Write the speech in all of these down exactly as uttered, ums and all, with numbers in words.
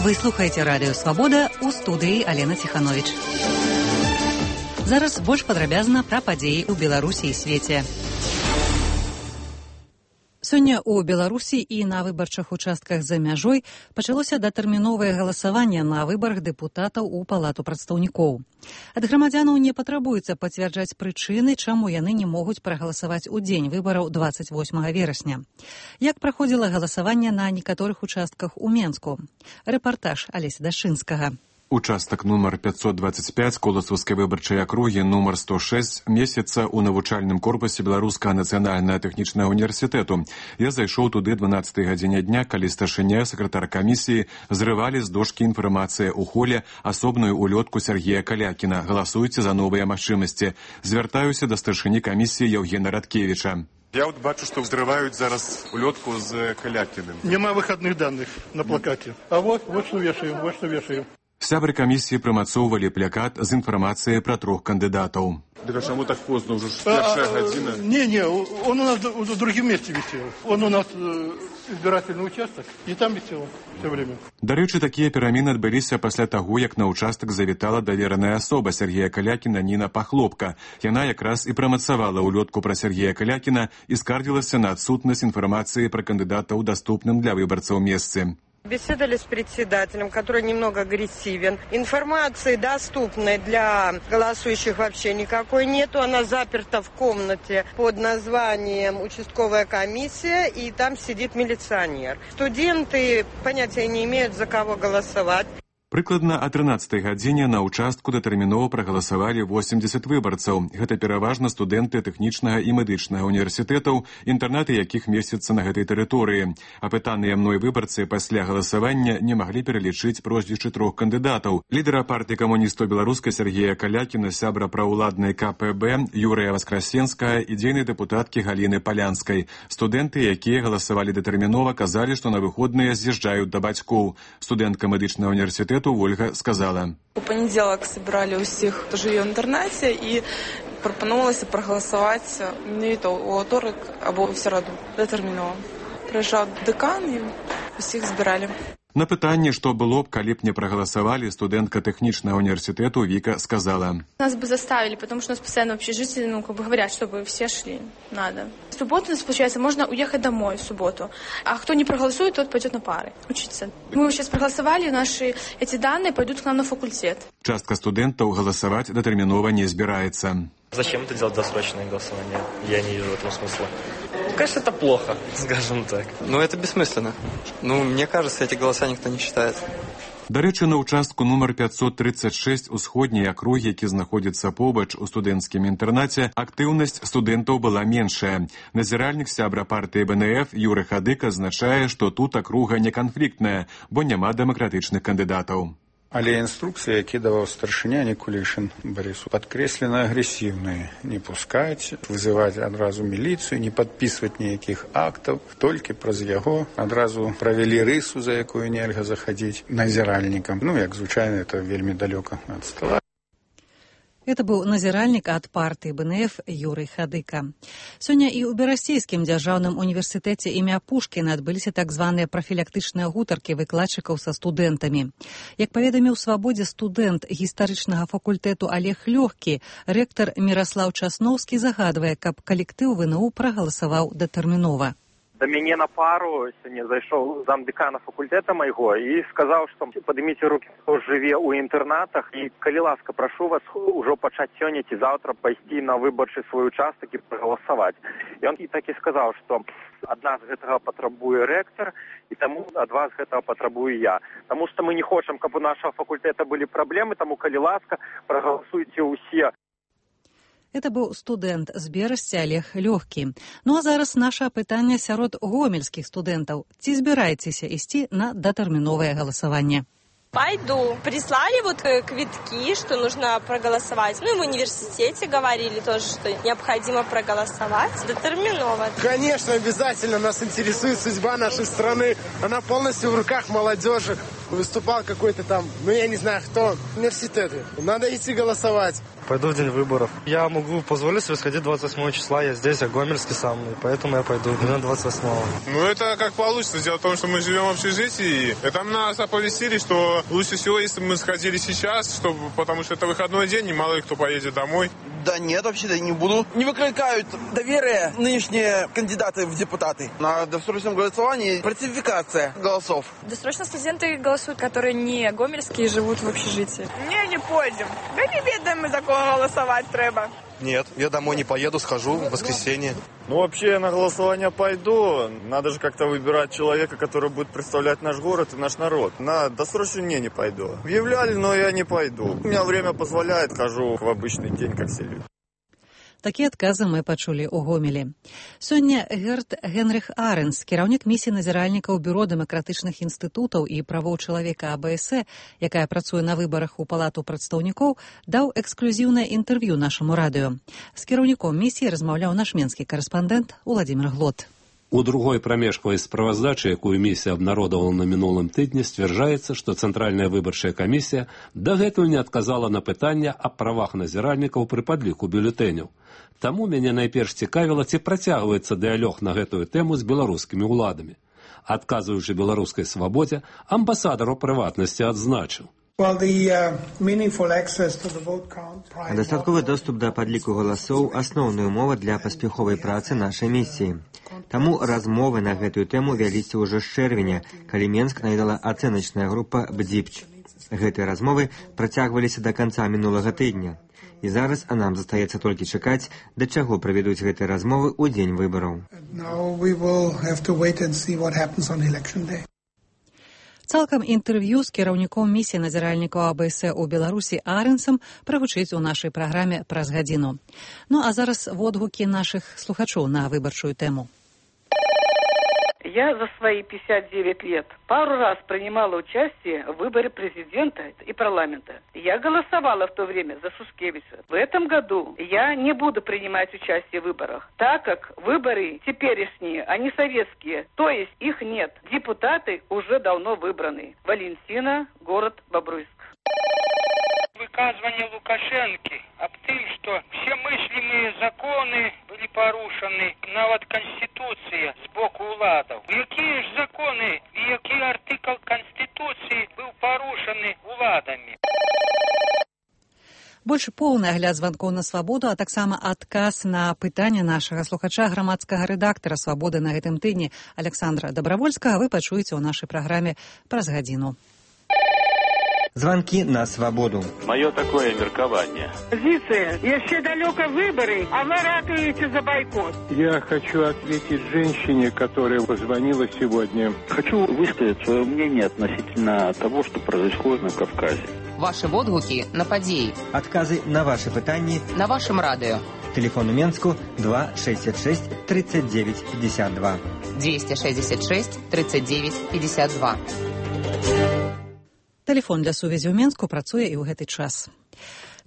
Вы слухаеце радыё «Свабода», у студыі Алена Ціхановіч. Зараз больш падрабязна пра падзеі ў Беларусі і свеце. Сёння ў Беларусі і на выбарчых участках за мяжой пачалося датэрміновае галасаванне на выбарах дэпутатаў у Палату прадстаўнікоў. Ад грамадзянаў не патрабуецца пацвярджаць прычыны, чаму яны не могуць прагаласаваць у дзень выбараў дваццаць восьмага верасня. Як праходзіла галасаванне на некаторых участках у Менску? Рэпартаж Алеся Дашынскага. Участак нумар пятьсот двадцать пять Коласаўскай выбарчай акругі нумар сто шесть месяца ў навучальным корпусе Беларускага нацыянальнага тэхнічнага універсітэту. Я зайшоў туды дванаццатай гадзіне дня, калі старшыня, сакратар камісіі зрывалі з дошкі інфармацыя ў холе асобную улётку Сергея Калякіна. Галасуйце за новыя магчымасці. Звяртаюся да старшыні камісіі Яўгена Радкевіча. Я вот бачу, что взрывают зараз улетку с Калякиным. Нема выходных данных на плакате. А вот, вот что вешаем, вот что вешаем. Сябры камісіі прымацоўвалі плакат з інфармацыяй пра трох кандыдатаў. Так а чему так поздно? Уже першая гадзіна. Не-не, он у нас в другом месте висел. Он у нас э, избирательный участок, и там висел все время. Дарэчы, такія перамены адбыліся пасля таго, як на участак завітала давераная асоба Сергея Калякіна Ніна Пахлопка. Яна якраз і прамацавала улётку пра Сергея Калякіна і скардзілася на адсутнасць інфармацыі пра кандыдата ў даступным для выбарцаў месцы. Беседовали с председателем, который немного агрессивен. Информации доступной для голосующих вообще никакой нету. Она заперта в комнате под названием «Участковая комиссия», и там сидит милиционер. Студенты понятия не имеют, за кого голосовать. Прыкладна о трынаццатай гадзіне на участку датэрмінова прагаласавалі восемьдесят выбарцаў. Гэта пераважна студэнты тэхнічнага і медычнага універсітэтаў, інтэрнаты якіх месяцца на гэтай тэрыторыі. Апытаныя мной выбарцы пасля галасавання не маглі пералічыць прозвішчы трох кандыдатаў. Лідара партыі камуністаў беларускай Сергея Калякіна, сябра праўладнай ка пэ бэ Юрыя Васкрасенскага і дзейнай дэпутаткі Галіны Палянскай. Студэнты, якія галасавалі датэрмінова, казалі, што на выходныя з'язджаюць да бацькоў. Студэнтка медычнага універсітэту Ольга сказала. У понеділок збирали усіх, хто живе в інтернаті, і пропонувалося проголосувати менавіта у аўторак або в середу датэрмінова. Прыязджаў дэкан і усіх збирали. На пытанне, што было б, калі б не прагаласавалі, студэнтка тэхнічнага універсітэту Віка сказала. Нас бы заставили, потому что у нас постоянно в общежитии, ну, как бы говорят, чтобы все шли. Надо. В субботу у нас, получается, можно уехать домой в субботу. А кто не проголосует, тот пойдет на пары учиться. Мы сейчас проголосовали, наши эти данные пойдут к нам на факультет. Частка студэнтаў галасаваць датэрмінова не збіраецца. Зачем это делать досрочное голосование? Я не вижу в этом смысла. Конечно, это плохо, скажем так. Ну, это бессмысленно. Ну, мне кажется, эти голоса никто не считает. Дарэчы, на участку нумар пятьсот тридцать шесть усходняй акругі, які знаходзіцца побач у студэнцкім інтэрнаце, актыўнасць студэнтаў была меншая. Назіральнік сябра партыі бэ эн эф Юры Хадык азначае, што тут акруга не канфліктная, бо няма дэмакратычных кандыдатаў. Але інструкцыя, які даваў старшыня Никулишин Борису, падкрэслена агрэсіўныя. Не пускаць, вызываць адразу міліцыю, не падпісваць ніякіх актаў, толькі праз яго адразу правялі рысу, за якую нельга захадзіць назіральнікам. Ну, як звычайна, это вельмі далёка ад стола. Это быў назіральнік ад партыі бэ эн эф Юрый Хадыка. Сёння і ў Берасцейскім дзяржаўным універсітэце імя Пушкіна адбыліся так званыя прафілактычныя гутаркі выкладчыкаў са студэнтамі. Як паведаміў «Свабодзе» студэнт гістарычнага факультэту Олег Лёгкі, рэктар Міраслаў Часноўскі загадвае, каб калектыў вэ эн у прагаласаваў датэрмінова. Да мяне на пару сёння зайшоў замдэкана факультэта майго і сказаў, што падыміце рукі, хто жыве ў інтэрнатах, і калі ласка, прашу вас ужо пачаць сёння ці заўтра пайсці на выбарчы свой участак і прагаласаваць. І он і так і сказаў, што ад нас гэтага патрабуе рэктар, і таму ад вас гэтага патрабую я. Таму што мы не хочам, каб у нашага факультэта былі праблемы, таму калі ласка, прагаласуйце ўсе. Это быў студэнт з Берасці Олег Лёгкі. Ну а зараз наша пытанне сярод гомельскіх студэнтаў. Ці збіраецеся ісці на датэрміновае галасаванне? Пойду. Прислали вот квитки, что нужно проголосовать. Ну и в университете говорили тоже, что необходимо проголосовать. Детерминовано. Конечно, обязательно. Нас интересует судьба нашей страны. Она полностью в руках молодежи. Выступал какой-то там, ну я не знаю кто, университеты. Надо идти голосовать. Пойду в день выборов. Я могу позволить себе сходить двадцать восьмого числа. Я здесь, я гомельский сам, и поэтому я пойду именно двадцать восьмого. Ну, это как получится. Дело в том, что мы живем в общежитии. И там нас оповестили, что лучше всего, если бы мы сходили сейчас, чтобы, потому что это выходной день, и мало ли кто поедет домой. Да нет, вообще-то не буду. Не выкликают доверие нынешние кандидаты в депутаты. На досрочном голосовании фальсификация голосов. Досрочно студенты голосуют, которые не гомельские и живут в общежитии. Не, не пойдем. Да не ведаем мы, за кого голосовать треба. Нет, я домой не поеду, схожу в воскресенье. Ну, вообще, я на голосование пойду. Надо же как-то выбирать человека, который будет представлять наш город и наш народ. На досрочную не, не пойду. Объявляли, но я не пойду. У меня время позволяет, хожу в обычный день, как все люди. Такія адказы мы пачулі ў Гомелі. Сёння Герт Генрих Аренс, кіраўнік місіі назіральнікаў Бюро дэмакратычных інстытутаў і правоў чалавека АБС, якая працуе на выбарах у Палату прадстаўнікоў, даў эксклюзіўнае інтэрв'ю нашаму радыё. З кіраўніком місіі размаўляў наш менскі карэспандэнт Уладзімір Глот. У другой прамежкавай справаздачы, якую місія абнародавала на мінулым тыдні, сцвярджаецца, што Цэнтральная выбарчая камісія дагэтуль не адказала на пытанне аб правах назіральнікаў пры падліку бюлетэняў. Таму мяне найперш цікавіла, ці працягваецца дыялог на гэтую тэму з беларускімі ўладамі. Адказваючы беларускай свабодзе, амбасадар у прыватнасці адзначыў. Дастатковы доступ да падліку галасоў – асноўная умова для паспяховай працы нашай місіі. Таму размовы на гэтую тэму вяліся ўжо з чэрвеня, калі Менск наведала ацэначная група «Бдзіпч». Гэтыя размовы працягваліся да канца мінулага тыдня. І зараз а нам застаецца толькі чакаць, да чаго правядуць гэтыя размовы ў дзень выбараў. Цалкам інтэрв'ю з кіраўніком місіі назіральнікаў АБС у Беларусі Арэнсам прагучыць у нашай праграме праз гадзіну. Ну а зараз водгукі нашых слухачоў на выбарчую тэму. Я за свои пятьдесят девять лет пару раз принимала участие в выборе президента и парламента. Я голосовала в то время за Шушкевича. В этом году я не буду принимать участие в выборах, так как выборы теперешние, они советские, то есть их нет. Депутаты уже давно выбраны. Валентина, город Бобруйск. Выказывание Лукашенко об том, что все мыслимые законы были порушены, нават Конституция с боку уладов. Какие же законы и какие артикл Конституции был порушены уладами? Больш поўны агляд званкоў на свабоду, а таксама адказ на пытанне нашага слухача грамадскага рэдактара «Свабоды» на гэтым тыдні Александра Добравольскага вы пачуеце ў нашай праграме праз гадзіну. Звонки на свободу. Мое такое меркование. Позиция. Еще далеко выборы, а вы ратуете за бойкот. Я хочу ответить женщине, которая позвонила сегодня. Хочу высказать свое мнение относительно того, что происходит на Кавказе. Ваши водгуки на подеи. Отказы на ваши пытания. На вашем радио. Телефон у Менску два шестьдесят шесть тридцать девять пятьдесят два. двести шестьдесят шесть тридцать девять пятьдесят два. Тэлефон для сувязі ў Менску працуе і ў гэты час.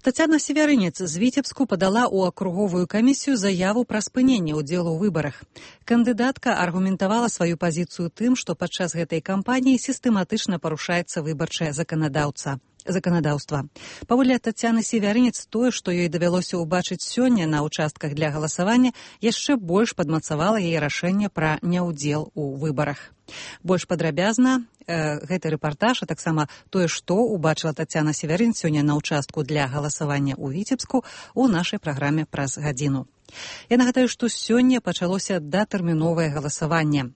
Тацяна Севярынец з Віцебску падала ў акруговую камісію заяву пра спыненне ўдзелу ў выбарах. Кандыдатка аргументавала сваю пазіцыю тым, што падчас гэтай кампаніі сістэматычна парушаецца выбарчае заканадаўца. заканадаўства. Паводле Тацяны Севярынец, тое, што ёй давялося ўбачыць сёння на ўчастках для галасавання, яшчэ больш падмацавала яе рашэнне пра няўдзел у выбарах. Больш падрабязна э, гэты рэпартаж, а таксама тое, што ўбачыла Тацяна Севярынец сёння на ўчастку для галасавання ў Віцебску у нашай праграме праз гадзіну. Я нагадаю, што сёння пачалося датэрміновае галасаванне.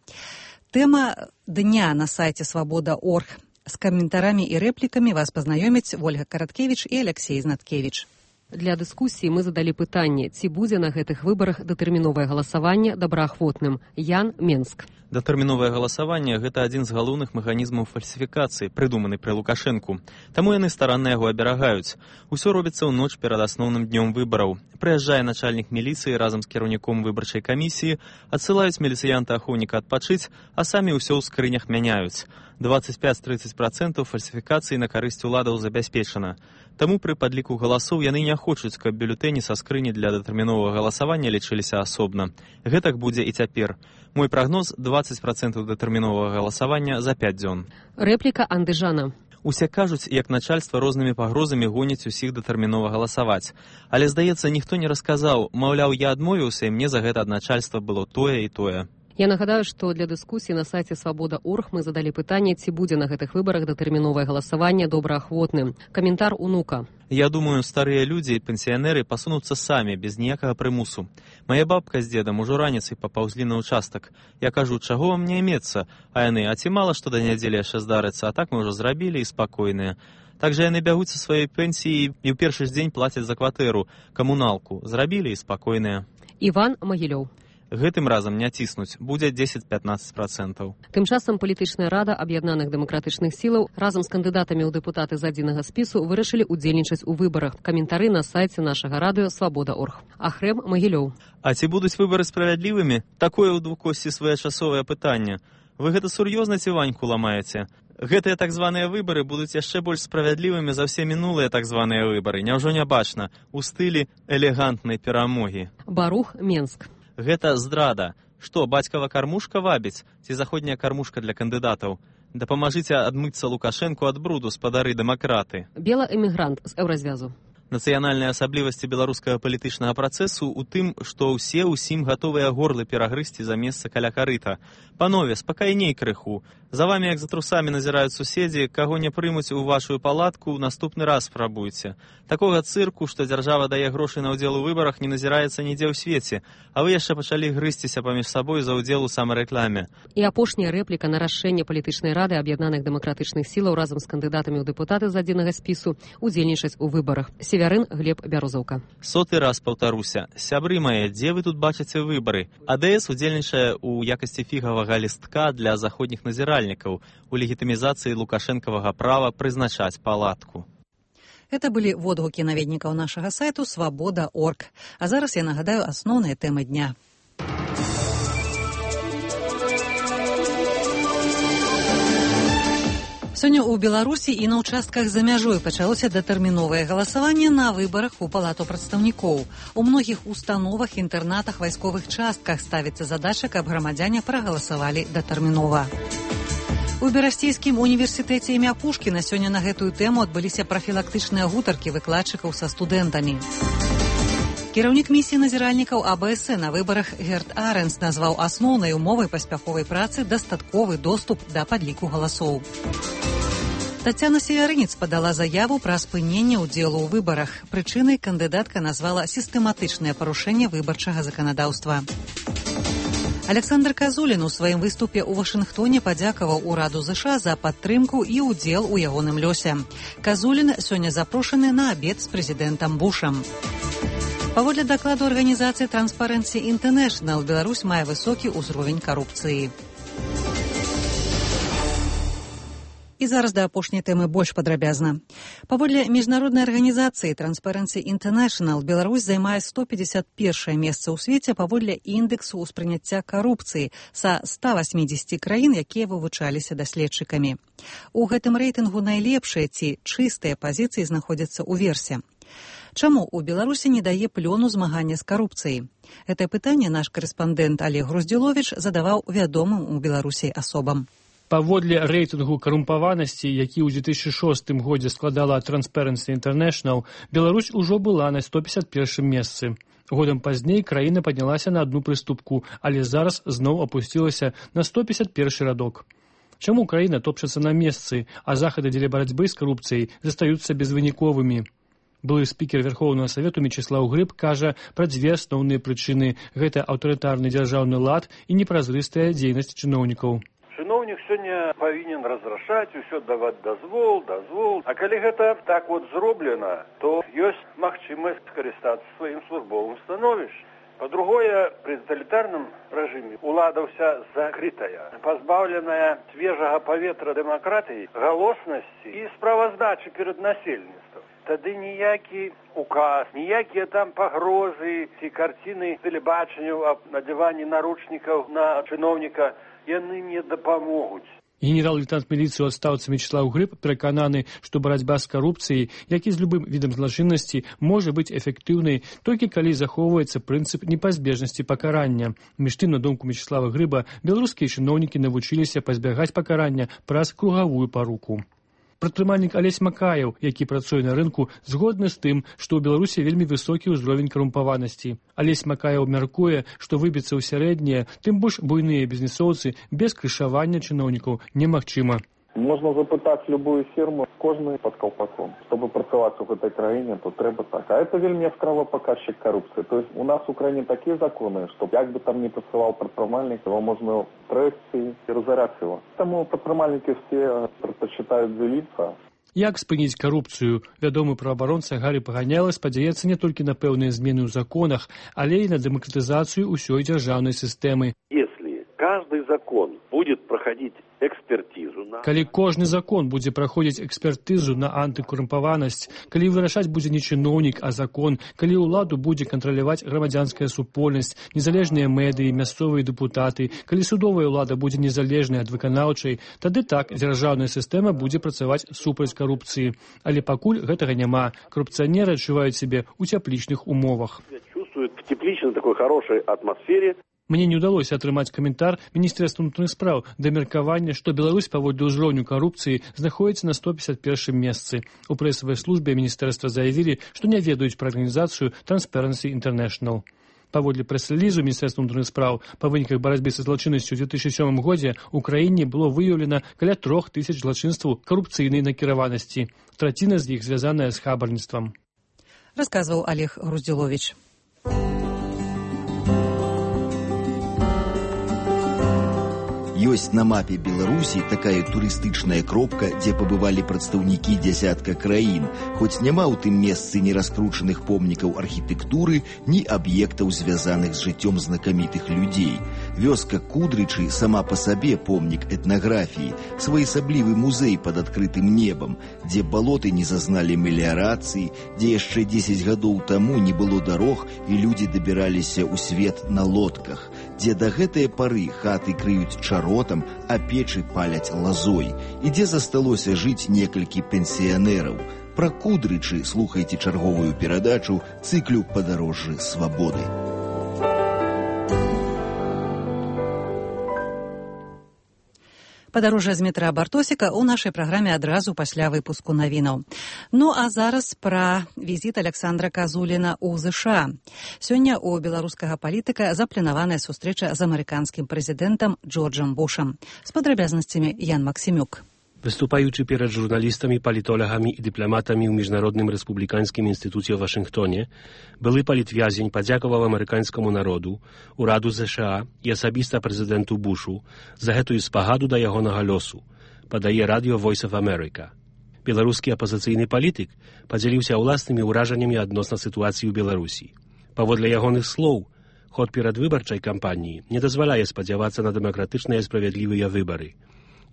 Тэма дня на сайце свабода точка орг. С комментариями и репликами вас познакомят Ольга Караткевич и Алексей Знаткевич. Для дыскусіі мы задалі пытанне, ці будзе на гэтых выбарах датэрміновае галасаванне добраахвотным. Ян, Менск. Датэрміновае галасаванне – гэта адзін з галоўных механізмаў фальсіфікацыі, прыдуманы пры Лукашэнку. Таму яны старанна яго аберагаюць. Усё робіцца ў ноч перад асноўным днём выбараў. Прыязджае начальнік міліцыі разам з кіраўніком выбарчай камісіі, адсылаюць міліцыянта-ахоўніка адпачыць, а самі ўсё ў скрынях мяняюць. двадцать пять - тридцать процентов фальсіфікацыі на карысць уладаў забяспечана. Таму пры падліку галасоў яны не хочуць, каб бюлетэні са скрыні для датэрміновага галасавання лічыліся асобна. Гэтак будзе і цяпер. Мой прагноз – двадцать процентов датэрміновага галасавання за пять дзён. Рэпліка Андыжана. Усе кажуць, як начальства рознымі пагрозамі гоняць усіх датэрмінова галасаваць. Але, здаецца, ніхто не расказаў, маўляў, я адмовіўся, і мне за гэта ад начальства было тое і тое. Я нагадаю, што для дыскусіі на сайце свабода точка орг мы задалі пытанне, ці будзе на гэтых выбарах датэрміновае галасаванне добраахвотным. Каментар унука. Я думаю, старыя людзі і пенсіянеры пасунуцца самі, без ніякага прымусу. Мая бабка з дзедам ужо раніцай папаўзлі на ўчастак. Я кажу, чаго вам не имецца? А яны, а ці мала што да нядзелі яшчэ здарыцца, а так мы ўжо зрабілі і спакойныя. Так жа яны бягуць са сваёй пенсіі і ў першы ж дзень плацяць за кватэру, камуналку. Зрабілі і спакойныя. Іван Магілёў. Гэтым разам не ціснуць, будзе дзесяць-пятнаццаць працэнтаў. Тым часам палітычная рада аб'яднаных дэмакратычных сілаў разам з кандыдатамі ў дэпутаты з адзінага спісу вырашылі ўдзельнічаць у выбарах. Каментары на сайце нашага радыё свабода точка орг. Ахрэм Магілёў. А ці будуць выбары справядлівымі? Такое ў двукосці своечасовае пытанне. Вы гэта сур'ёзна ці ваньку ламаеце? Гэтыя так званыя выбары будуць яшчэ больш справядлівымі за ўсе мінулыя так званыя выбары. Няўжо не бачна? У стылі элегантнай перамогі. Барух, Менск. Гэта здрада. Што, бацькава кармушка вабіць? Ці заходняя кармушка для кандыдатаў? Дапамажыце адмыцца Лукашэнку ад бруду, спадары дэмакраты. Белаэмігрант з еўразвязу. Нацыянальныя асаблівасці беларускага палітычнага працэсу ў тым, што ўсе ўсім гатовыя горлы перагрызці за месца каля карыта. Панове, спакайней крыху. За вамі, як за трусамі, назіраюць суседзі, каго не прымуць у вашую палатку, наступны раз спрабуйце. Такога цырку, што дзяржава дае грошы на ўдзел у выбарах, не назіраецца нідзе ў свеце, а вы яшчэ пачалі грызціся паміж сабой за ўдзел у самарэкламе. І апошняя рэпліка на рашэнне палітычнай рады аб'яднаных дэмакратычных сілаў разам з кандыдатамі ў дэпутаты з адзінага спісу ўдзельнічаць у выбарах. Севярын Глеб Бярозаўка. Соты раз паўтаруся. Сябры мае, дзе вы тут бачыце выбары? АДС удзельнічае ў якасці фігавага лістка для заходніх назіральнікаў у легітымізацыі лукашэнкавага права прызначаць палатку. Это былі водгукі наведнікаў нашага сайту свабода точка орг. А зараз я нагадаю асноўныя тэмы дня. Сёння ў Беларусі і на ўчастках за мяжой пачалося датэрміновае галасаванне на выбарах у палату прадстаўнікоў. У многіх установах, інтэрнатах, вайсковых частках ставіцца задача, каб грамадзяне прагаласавалі датэрмінова. У Берасцейскім універсітэце імя Пушкіна сёння на гэтую тэму адбыліся прафілактычныя гутаркі выкладчыкаў са студэнтамі. Кіраўнік місіі назіральнікаў АБС на выбарах Герт Арэнс назваў асноўнай умовай паспяховай працы дастатковы доступ да падліку галасоў. Тацяна Севярынец падала заяву пра спыненне ўдзелу ў выбарах. Прычынай кандыдатка назвала сістэматычнае парушэнне выбарчага заканадаўства. Александр Казулін у сваім выступе ў Вашынгтоне падзякаваў ураду ЗША за падтрымку і ўдзел у ягоным лёсе. Казулін сёння запрошаны на абед з прэзідэнтам Бушам. Паводле дакладу арганізацыі Transparency International, Беларусь мае высокі ўзровень карупцыі. І зараз да апошняй тэмы больш падрабязна. Паводле міжнароднай арганізацыі Transparency International, Беларусь займае сто пятьдесят первое месца ў свеце паводле індэксу ўспрыняцця карупцыі са ста восьмидесяти краін, якія вывучаліся даследчыкамі. У гэтым рэйтынгу найлепшыя ці чыстыя пазіцыі знаходзяцца ў версе. Чаму ў Беларусі не дае плёну змагання з карупцыяй? Гэтае пытанне наш карэспандэнт Олег Груздзіловіч задаваў вядомым у Беларусі асобам. Паводле рэйтынгу карумпаванасці, які ў две тысячи шостым годзе складала Transparency International, Беларусь ужо была на сто пятьдесят первом месцы. Годам пазней краіна паднялася на одну прыступку, але зараз зноў апусцілася на сто пятьдесят первый радок. Чаму краіна топчацца на месцы, а захады дзеля барацьбы з карупцыяй застаюцца безвыніковымі? Былы спікер Верховнага Савету Мечыслаў Грыб кажа пра дзве асноўныя прычыны. Гэта аўтарытарны дзяржаўны лад і непразрыстая дзейнасць чыноўнікаў. Чыноўнік сёння павінен разрашаць, усё даваць дазвол, дазвол. А калі гэта так вот зроблена, то ёсць магчымасць скарыстацца сваім службовым становішчам. Па-другое, пры таталітарным рэжыме ўлада ўся закрытая, пазбаўленая свежага паветра дэмакратыі, галоснасці і справаздачы перад насельніцтвам. Тады ніякі указ, ніякія там пагрозы ці карціны тэлебачанняў аб надзяванні наручнікаў на чыноўніка яны не дапамогуць. Генерал-лейтенант міліцыі ў адстаўцы Мечыслаў Грыб перакананы, што барацьба з карупцыяй, як і з любым відам злачыннасці, можа быць эфектыўнай толькі калі захоўваецца прынцып непазбежнасці пакарання. Між тым, на думку Мечыслава Грыба, беларускія чыноўнікі навучыліся пазбягаць пакарання праз кругавую паруку. Прадпрымальнік Алесь Макаеў, які працуе на рынку, згодны з тым, што ў Беларусі вельмі высокі ўзровень карумпаванасці. Алесь Макаеў мяркуе, што выбіцца ў сярэднія, тым больш буйныя бізнесоўцы без крышавання чыноўнікаў немагчыма. Можна запытаць любую фірму, кожны пад каўпаком. Чтобы працаваць у гэтай краіне, то трэба так. А это вельмі яскравы паказчык карупцыі. То есть у нас у краіне такія законы, што як бы там не працаваў прадпрымальнік, его можна трэсці і разараць его. Таму прадпрымальнікі все прадпачытаюць дзеліцца. Як спыніць карупцыю? Вядомы праваабаронца Гарі Паганяла спадзяецца не толькі на пэўныя змены ў законах, але і на дэмакратызацыю ўсёй дзяржаўнай сістэмы. Если каждый закон будет проходить экспертизу на... Калі кожны закон будзе праходзіць экспертызу на антыкарумпаванасць, калі вырашаць будзе не чыноўнік, а закон, калі ўладу будзе кантраляваць грамадзянская супольнасць, незалежныя медыі, мясцовыя дэпутаты, калі судовая ўлада будзе незалежнай ад выканаўчай, тады так дзяржаўная сістэма будзе працаваць супраць карупцыі. Але пакуль гэтага няма. Карупцыянеры адчуваюць сябе ў цяплічных умовах. Чувствуют в тепличной такой хорошей атмосфере. Мне не ўдалося атрымаць каментар Міністэрства ўнутраных спраў да меркавання, што Беларусь паводле ўзроўню карупцыі знаходзіцца на сто пятьдесят первом месцы. У прэсавай службе міністэрства заявілі, што не ведаюць пра арганізацыю Transparency International. Паводле прэс-рэлізу Міністэрства ўнутраных спраў па выніках барацьбы са злачыннасцю ў две тысячи сёмым годзе ў краіне было выяўлена каля трох тысяч злачынстваў карупцыйнай накіраванасці. Траціна з іх звязаная з хабарніцтвам. Расказваў Олег Груздзіловіч. Ёсць на мапе Беларусі такая турыстычная кропка, дзе пабывалі прадстаўнікі дзясятка краін, хоць няма ў тым месцы ні раскручаных помнікаў архітэктуры, ні аб'ектаў, звязаных з жыццём знакамітых людзей. Вёска Кудрычы сама па сабе помнік этнаграфіі, своеасаблівы музей пад адкрытым небам, дзе балоты не зазналі меліярацыі, дзе яшчэ дзесяць гадоў таму не было дарог і людзі дабіраліся ў свет на лодках, дзе да гэтай пары хаты крыюць чаротам, а печы паляць лазой, і дзе засталося жыць некалькі пенсіянераў. Пра Кудрычы слухайце чарговую перадачу цыклю «Падарожжы свабоды». Падарожжа з метра Бартосіка ў нашай праграме адразу пасля выпуску навінаў. Ну а зараз пра візіт Александра Казуліна ў ЗША. Сёння ў беларускага палітыка запланаваная сустрэча з амерыканскім прэзідэнтам Джорджам Бушам. З падрабязнасцямі Ян Максімюк. Występujący przed żurnalistami, politologami i dyplomatami w Międzynarodnym Republikańskim Instytucie w Waszyngtonie, były politwiazień podziękował amerykańskiemu narodu, uradu Z S A i osobista prezydentu Bushu za hetuje spagadu do jego losu, podaje Radio Voice of America. Białoruski opozycyjny polityk podzielił się własnymi urażeniami odnośnie sytuacji w Białorusi. Powodle jego słów, chod przedwyborczej kampanii nie dozwalaje spodziewać się na demokratyczne i sprawiedliwe wybory.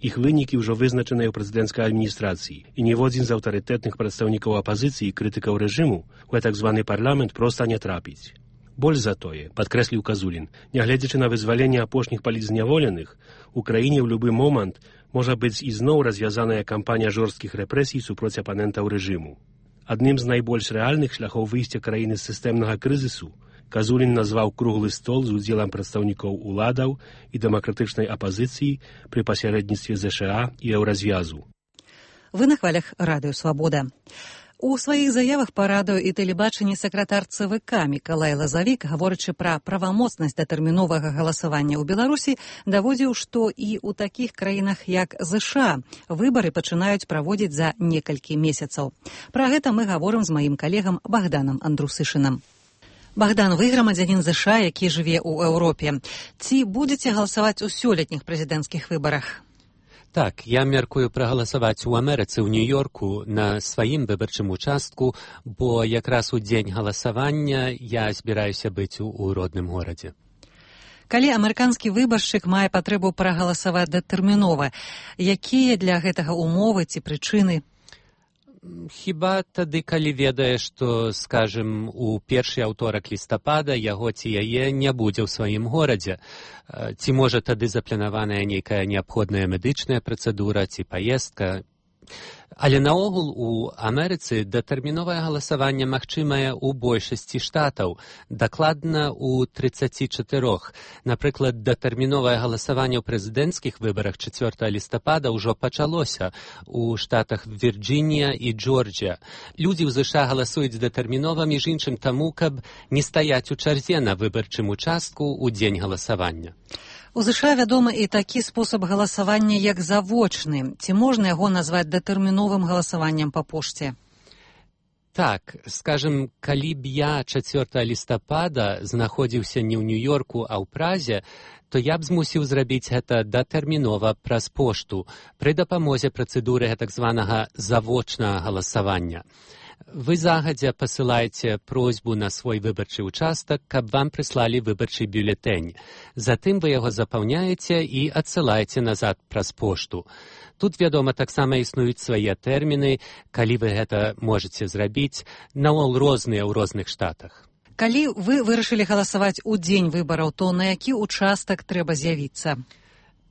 Ich wyniki już wyznaczone w prezydenckiej administracji i niewodzi z autorytetnych przedstawników opozycji i krytyków reżimu, w tak zwany parlament prosto nie trapić. Боль за тое, подкреслил Казулин, нягледзячы на вызваленне апошніх палітзняволеных, Украіне ў любы момант можа быць ізноў развязаная кампанія жорсткіх рэпрэсій супроць апанентаў рэжыму. Адным з найбольш рэальных шляхоў выйсця краіны з сістэмнага крызісу Казулін назваў круглы стол з удзелам прадстаўнікоў уладаў і дэмакратычнай апазіцыі пры пасярэдніцтве З Ш А і Еўразвязу. Вы на хвалях Радыё Свабода. У сваіх заявах па радыё і тэлебачанні сакратар Цэ Вэ Ка Мікалай Лазавік, гаворачы пра правамоцнасць датэрміновага галасавання ў Беларусі, даводзіў, што і ў такіх краінах, як З Ш А, выбары пачынаюць праводзіць за некалькі месяцаў. Пра гэта мы гаворым з маім калегам Богданам Андрусышынам. Богдан, вы грамадзянін З Ш А, які жыве ў Еўропе. Ці будзеце галасаваць у сёлетніх прэзідэнцкіх выбарах? Так, я мяркую прагаласаваць у Амерыцы ў Нью-Йорку на сваім выбарчым участку, бо якраз у дзень галасавання я збіраюся быць у, у родным горадзе. Калі амерыканскі выбаршчык мае патрэбу прагаласаваць датэрмінова, якія для гэтага умовы ці прычыны? Хіба тады, калі ведае, што, скажем, у першы аўторак лістапада яго ці яе не будзе ў сваім горадзе. Ці можа тады запланаваная нейкая неабходная медычная працэдура ці паездка. Але наогул у Амерыцы датэрміновае галасаванне магчымае ў большасці штатаў, дакладна ў трыццаці чатырох. Напрыклад, датэрміновае галасаванне ў прэзідэнцкіх выбарах чацвёртага лістапада ўжо пачалося у штатах Вірджынія і Джорджія. Людзі ў ЗША галасуюць датэрмінова, між іншым таму, каб не стаяць у чарзе на выбарчым участку ў дзень галасавання. У ЗША вядомы і такі спосаб галасавання, як завочны. Ці можна яго назваць датэрміновым галасаваннем па пошце? Так, скажем, калі б я чацвёртага лістапада знаходзіўся не ў Нью-Йорку, а ў Празе, то я б змусіў зрабіць гэта датэрмінова праз пошту пры дапамозе працэдуры гэтак званага завочнага галасавання. Вы загадзя пасылаеце просьбу на свой выбарчы ўчастак, каб вам прыслалі выбарчы бюлетэнь. Затым вы яго запаўняеце і адсылаеце назад праз пошту. Тут, вядома, таксама існуюць свае тэрміны, калі вы гэта можаце зрабіць, наогул розныя ў розных штатах. Калі вы вырашылі галасаваць у дзень выбараў, то на які ўчастак трэба з'явіцца?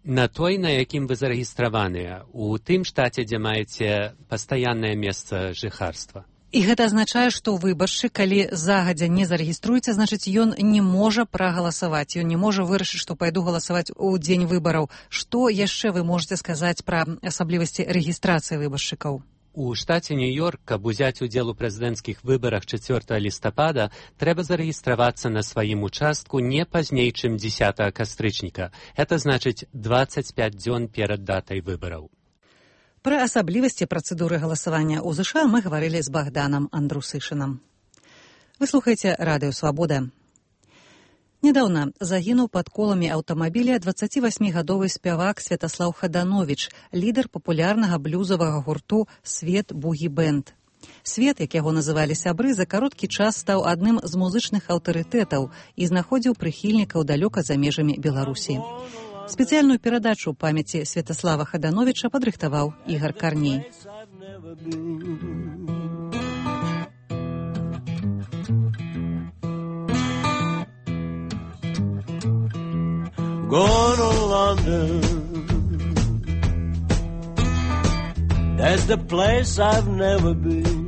На той, на якім вы зарэгістраваныя, у тым штаце, дзе маеце пастаяннае месца жыхарства. І гэта азначае, што выбаршчык, калі загадзя не зарэгіструецца, значыць, ён не можа прагаласаваць, ён не можа вырашыць, што пайду галасаваць у дзень выбараў. Што яшчэ вы можаце сказаць пра асаблівасці рэгістрацыі выбаршчыкаў? У штаце Нью-Йорк, каб узяць удзел у прэзідэнцкіх выбарах чацвёртага лістапада, трэба зарэгістравацца на сваім участку не пазней, чым дзесятага кастрычніка. Гэта значыць дваццаць пяць дзён перад датай выбараў. Пра асаблівасці працэдуры галасавання ў ЗША мы гаварылі з Богданом Андрусышынам. Вы слухаеце Радыё Свабода. Нядаўна загінуў пад коламі аўтамабіля дваццацівасьмігадовы спявак Святаслаў Хадановіч, лідар папулярнага блюзавага гурту «Свет Бугі Бэнд». Свет, як яго называлі сябры, за кароткі час стаў адным з музычных аўтарытэтаў і знаходзіў прыхільнікаў далёка за межамі Беларусі. Спецыяльную перадачу памяці Святаслава Хадановіча падрыхтаваў Ігар Карней. Going to London, that's the place I've never been.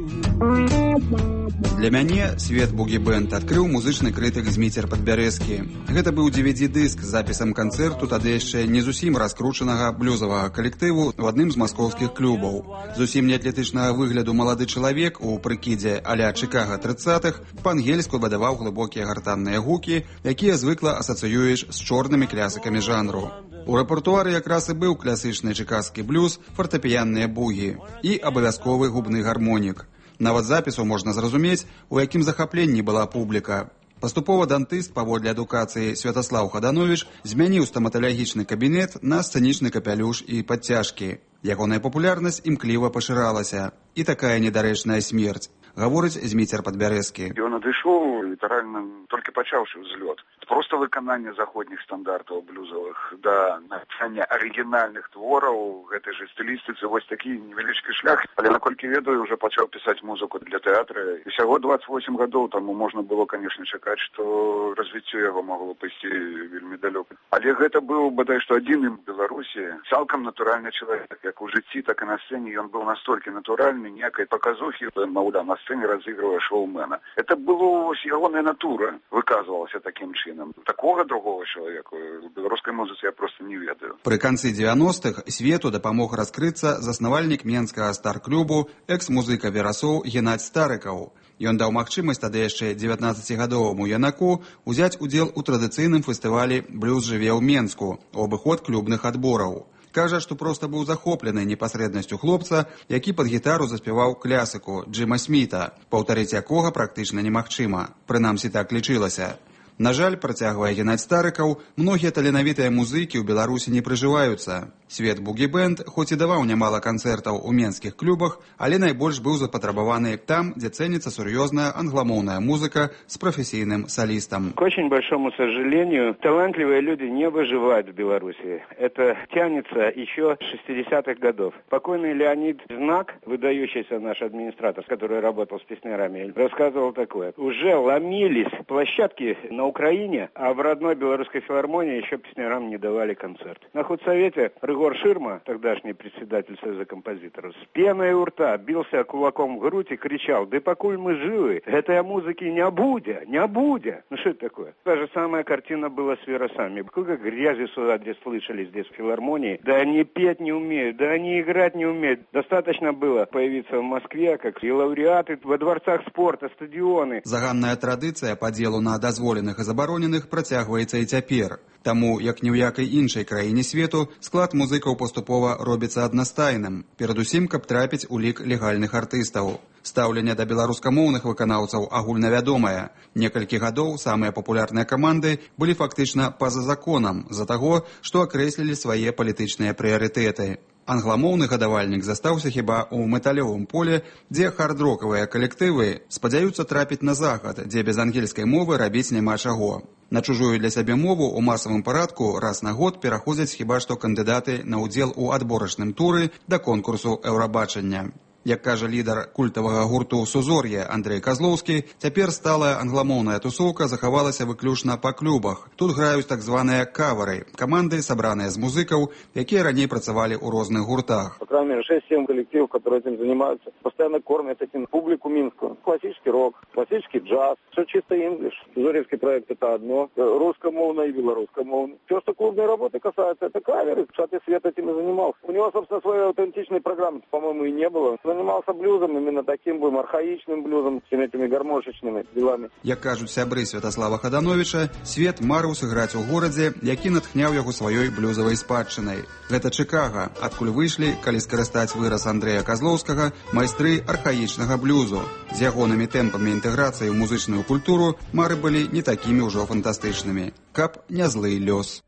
Для мяне свет бугі-бэнд адкрыў музычны крытык Зміцер Падбярэзкі. Гэта быў ди ви ди-дыск з запісам канцэрту тады яшчэ не зусім раскручанага блюзавага калектыву ў адным з маскоўскіх клубаў. Зусім неатлетычнага выгляду малады чалавек у прыкідзе а-ля Чыкага трыццатых па-ангельску выдаваў глыбокія гартанныя гукі, якія звыкла асацыюеш з чорнымі клясыкамі жанру. У рэпертуары якраз і быў класычны чыкаскі блюз, фартэпіянныя бугі і абавязковы губны гармонік. Нават запісу можна зразумець, у якім захапленні была публіка. Паступова дантыст, паводле адукацыі Святаслаў Хадановіч, змяніў стаматалагічны кабінет на сцэнічны капялюш і падцяжкі. Ягоная папулярнасць імкліва пашыралася. І такая недарэчная смерць. Гаворыць Зміцер Падбярэзкі. Ён адышоў літаральна толькі пачаўшы ўзлёт. Просто выкананне заходніх стандартаў блюзавых да напісання арыгінальных твораў гэтай жа стылістыцы вось такі невялічкі шлях. Але наколькі ведаю, уже пачаў пісаць музыку для тэатра. І ўсяго дваццаць восем гадоў таму можна было, канешне, чакаць, што развіццё яго магло пайсці вельмі далёка. Але гэта быў бадай што адзіным в Беларусі цалкам натуральны чалавек. Як у жыцці, так і на сцэне ён быў настолькі натуральны, ніякай паказухі, маўляў, на сцэне разыгрывае шоумена. Это было вось ягоная натура выказвалася такім чынам. Такого другого чалавека у беларускай музыцы я просто не ведаю. Пры канцы дзевяностых свету дапамог раскрыцца заснавальнік менскага стар-клубу, экс-музыка Верасоў Геннадзь Старыкаў. Ён даў магчымасць тады яшчэ дзевятнаццацігадоваму юнаку узяць удзел у традыцыйным фестывалі «Блюз жыве ў Менску» у абыход клубных адбораў. Кажа, што проста быў захоплены непасрэднасцю хлопца, які пад гітару заспяваў клясыку Джима Сміта, паўтарыць якога практычна немагчыма. Прынамсі так лічылася. На жаль, працягвае Геннадзь Старыкаў, многія таленавітыя музыкі ў Беларусі не прыжываюцца. Свет бугі-бэнд хоць і даваў нямала канцэртаў у менскіх клубах, але найбольш быў запатрабаваны там, дзе цэніцца сур'ёзная англамоўная музыка с профессийным солистом. К очень большому сожалению, талантливые люди не выживают в Беларуси. Это тянется еще с шестидесятых годов. Покойный Леонид Знак, выдающийся наш администратор, который работал с песнярами, рассказывал такое. Уже ломились площадки на на Украине, а в родной белорусской филармонии еще песнярам не давали концерт. На худсовете Рыгор Ширма, тогдашний председатель Союза композиторов, с пеной у рта бился кулаком в грудь и кричал: «Да покуль мы живы, этой музыки не будет, не будет». Ну что это такое? Та же самая картина была с Веросами. Сколько грязи сюда здесь слышали, здесь в филармонии. Да они петь не умеют, да они играть не умеют. Достаточно было появиться в Москве, как и лауреаты во дворцах спорта, стадионы. Заганная традыцыя падзелу на дазволеных і забароненых працягваецца і цяпер. Таму, як ні ў якай іншай краіне свету, склад музыкаў паступова робіцца аднастайным, перадусім, каб трапіць у лік легальных артыстаў. Стаўленне да беларускамоўных выканаўцаў агульнавядомае. Некалькі гадоў самыя папулярныя каманды былі фактычна па-за законам з-за таго, што акрэслілі свае палітычныя прыярытэты. Англамоўны гадавальнік застаўся хіба ў металёвым поле, дзе хард-рокавыя калектывы спадзяюцца трапіць на захад, дзе без ангельскай мовы рабіць няма чаго. На чужую для сябе мову ў масавым парадку раз на год пераходзяць хіба што кандыдаты на ўдзел у адборачным туры да конкурсу Еўрабачання. Як кажа лідар культавага гурту «Сузор'е» Андрэй Казлоўскі, цяпер сталая англамоўная тусоўка захавалася выключна па клубах. Тут граюць так званыя кавары, каманды, сабраныя з музыкаў, якія раней працавалі ў розных гуртах. По крайней мере, шесть-семь коллективов, которые этим занимаются, постоянно кормят этим публику минскую. Классический рок, классический джаз, все чисто инглиш. Сузорьевский проект — это одно, русскомовное и белорусскомовное. Все, что клубной работы касается, это каверы. Шаты Свет этим и занимался. У него, собственно, своей аутентичной программы, по-моему, и не было. Занимался блюзом, именно таким будем архаичным блюзом, с этими гармошечными делами. Як кажуць сябры Святаслава Хадановича, Свет марыў сыграць у горадзе, які натхняў яго сваёй блюзавай спадчынай. Гэта Чикаго, адкуль выйшлі, калі скарыстаць выраз Андрэя Казлоўскага, майстры архаічнага блюзу. З ягонымі тэмпамі інтэграцыі ў музычную культуру мары былі не такімі ўжо фантастычнымі. Каб не злы лёс.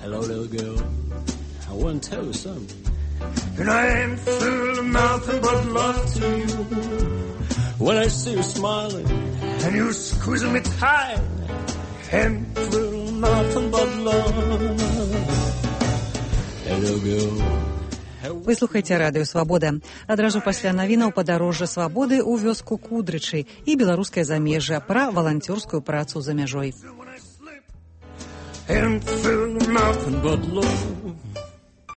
Hello, little girl. I want to tell you something. And I ain't full of nothing but love to you. When I see you smiling and you squeezing me tight, ain't full of nothing but love. Little girl. Вы слухаеце радыё «Свабода». Адразу пасля навінаў падарожжа свабоды ў вёску Кудрычы і беларускае замежжа пра валанцёрскую працу за мяжой. Ain't full of nothing but love.